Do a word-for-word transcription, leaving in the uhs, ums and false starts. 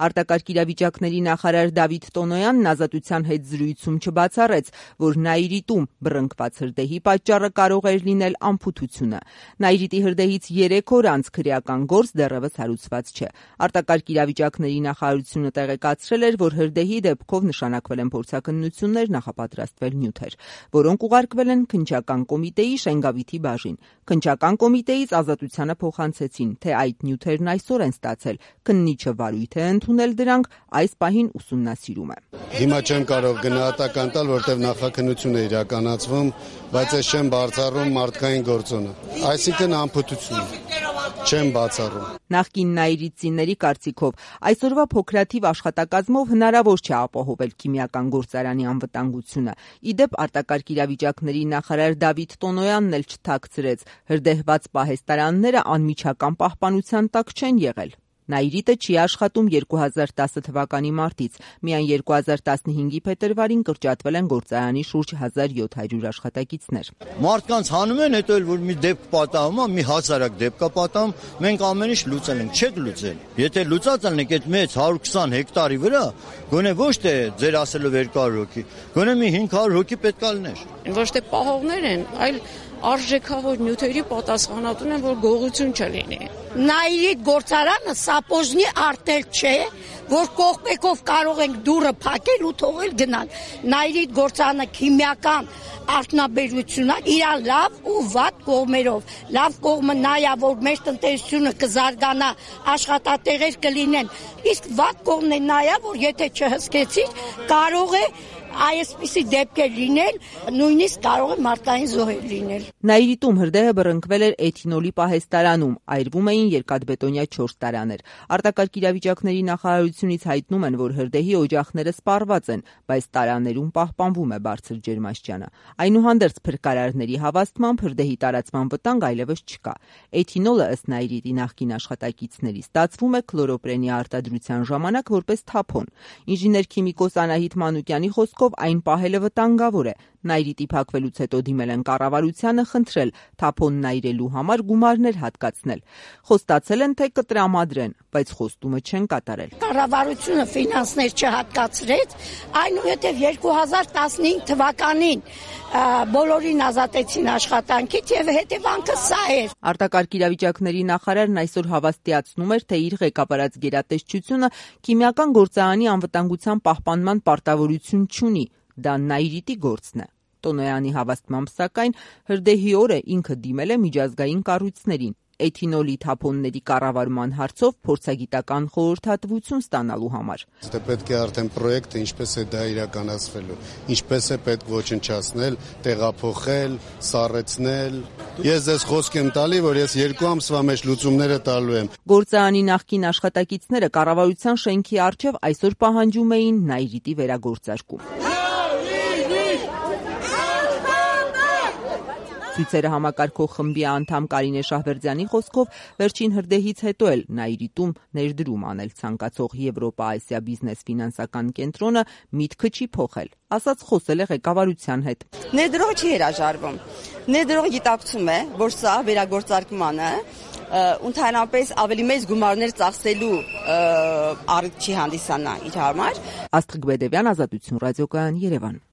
Արտակարգ իրավիճակների նախարար Դավիթ Տոնոյանն Ազատության հետ զրույցում չբացառեց, որ Նաիրիտում բռնկված հրդեհի պատճառը կարող էր լինել անփութությունը։ Նաիրիտի հրդեհից երեք օր անց քրեական գործ դեռևս հարուցված չէ։ Արտակարգ իրավիճակների նախարարությունը տեղեկացրել էր, որ հրդեհի դեպքով նշանակվել են փորձաքննություններ, նախապատրաստվել նյութեր, որոնք ուղարկվել են քննչական կոմիտեի Շենգավիթի բաժին։ Քննչական կոմիտեից Ազատությանը փոխանցեցին, թե այդ նյութերն այսօր են ստացել։ Քննիչը վարույթ է ընդունել դրանք, այս պահին ուսումնասիրում է։ Հիմա չեմ կարող գնահատական տալ, որտեղ նախաքննություն է իրականացվում, բայց ես չեմ բացառում մարդկային գործոնը։ Այսինքն անփութություն չեմ բացառում։ Նախկին նաիրիտցիների կարծիքով այսօրվա փոքրաթիվ աշխատակազմով հնարավոր չէ ապահովել քիմիական գործարանի անվտանգությունը։ Ի դեպ, արտակարգ իրավիճակների նախարար Դավիթ Տոնոյանն էլ չթաքցրեց, հրդեհված պահեստարանները անմիջական պահպանության տակ չեն եղել։ Նաիրիտը չի աշխատում երկու հազար տասը թվականի մարտից, միայն երկու հազար տասնհինգի փետրվարին կրճատվել են գործարանի շուրջ հազար յոթ հարյուր աշխատակիցներ։ Մարդկանց հանում են, հետո էլ որ մի դեպք պատահում է, մի հազարակ դեպք է պատահում, մենք ամեն ինչ լուծել ենք, չեք լուծել։ Եթե լուծած ալնեք այդ մեծ հարյուր քսան հեկտարի վրա, գոնե ոչ թե ձեր ասելով երկու հարյուր հոգի, գոնե մի հինգ հարյուր հոգի պետք է լիներ։ Ոչ թե պահողներ են, այլ արժեքավոր նյութերի պատասխանատուն են, որ գողություն չլինի։ Նաիրիտ գործարանը սապոժնի արտել չէ, որ կողմեկով կարող ենք դուռը փակել ու թողել գնալ։ Նաիրիտ գործարանը քիմիական արտոնաբերությունն է, իր լավ ու վատ կողմերով։ Լավ կողմը նա է, որ մեր տնտեսությունը կզարգանա, աշխատատեղեր կլինեն։ Իսկ վատ կողմն է նա է, որ եթե չհսկեցիր, կարող է այսպիսի դեպքեր լինել, նույնիսկ կարող է մարդկային զոհեր լինել։ Նաիրիտում հրդեհը բռնկվել էր էթինոլի պահեստարանում, այրվում էին երկաթբետոնյա չորս տարաներ։ Արտակարգ իրավիճակների նախարարությունից հայտնում են, որ հրդեհի օջախները սպառված են, բայց տարաներում պահպանվում է բարձր ջերմաստիճանը։ Այնուհանդերձ փրկարարների հավաստմամբ հրդեհի տարածման վտանգ այլևս չկա։ Էթինոլը, ըստ Նաիրիտի նախկին աշխատակիցների, ստացվում է քլորոպրենի արտադրության ժամանակ որպես թափոն։ Ինժեներ քիմիկոս Անահիտ Մանուկյանի խոսքով այն պահելը վտանգավոր է։ Նաիրիտի փակվելուց հետո դիմել են կառավարությանը խնդրել թափոնն այրելու համար գումարներ հատկացնել։ Խոստացել են, թե կտրամադրեն, բայց խոստումը չեն կատարել։ Կառավարությունը ֆինանսներ չհատկացրեց, այնուհետև երկու հազար տասնհինգ թվականին բոլորին ազատեցին աշխատանքից եւ հետևանքը սա էր։ Արտակարգ իրավիճակների նախարարն այսօր հավաստիացնում էր, թե իր ղեկավարած գերատեսչությունը քիմիական գործարանի անվտանգության պահպանման պարտավորություն չունի, դա Նաիրիտի գործն է։ Տոնոյանի հավաստմամբ, սակայն, հրդեհի օրը ինքը դիմել է միջազգային կառույցներին էթինոլի թափոնների կառավարման հարցով փորձագիտական խորհրդատվություն ստանալու համար։ Դե պետք է արդեն պրոյեկտը ինչպես է դա իրականացվելու, ինչպես է պետք ոչնչացնել, տեղափոխել, սառեցնել։ Ես ձեզ խոսք եմ տալի, որ ես երկու ամսվա մեջ լուծումները տալու եմ։ Գործարանի նախկին աշխատակիցները կառավարության շենքի առջև այսօր պահանջում էին Նաիրիտի վերագործարկում։ Ցույցերը համակարգող խմբի անդամ Կարինե Շահվերդյանի խոսքով վերջին հրդեհից հետո էլ Նաիրիտում ներդրում անել ցանկացող Եվրոպա-Ասիա բիզնես ֆինանսական կենտրոնը միտքը չի փոխել, ասաց խոսել է ղեկավարության հետ։ Ներդրողը չի հրաժարվում։ Ներդրողը գիտակցում է, որ սա վերագործարկմանը ընդհանրապես ավելի մեծ գումարներ ծախսելու առիթ չի հանդիսանա իր համար։ Աստղիկ Բեդևյան, Ազատություն ռադիոկայան, Երևան։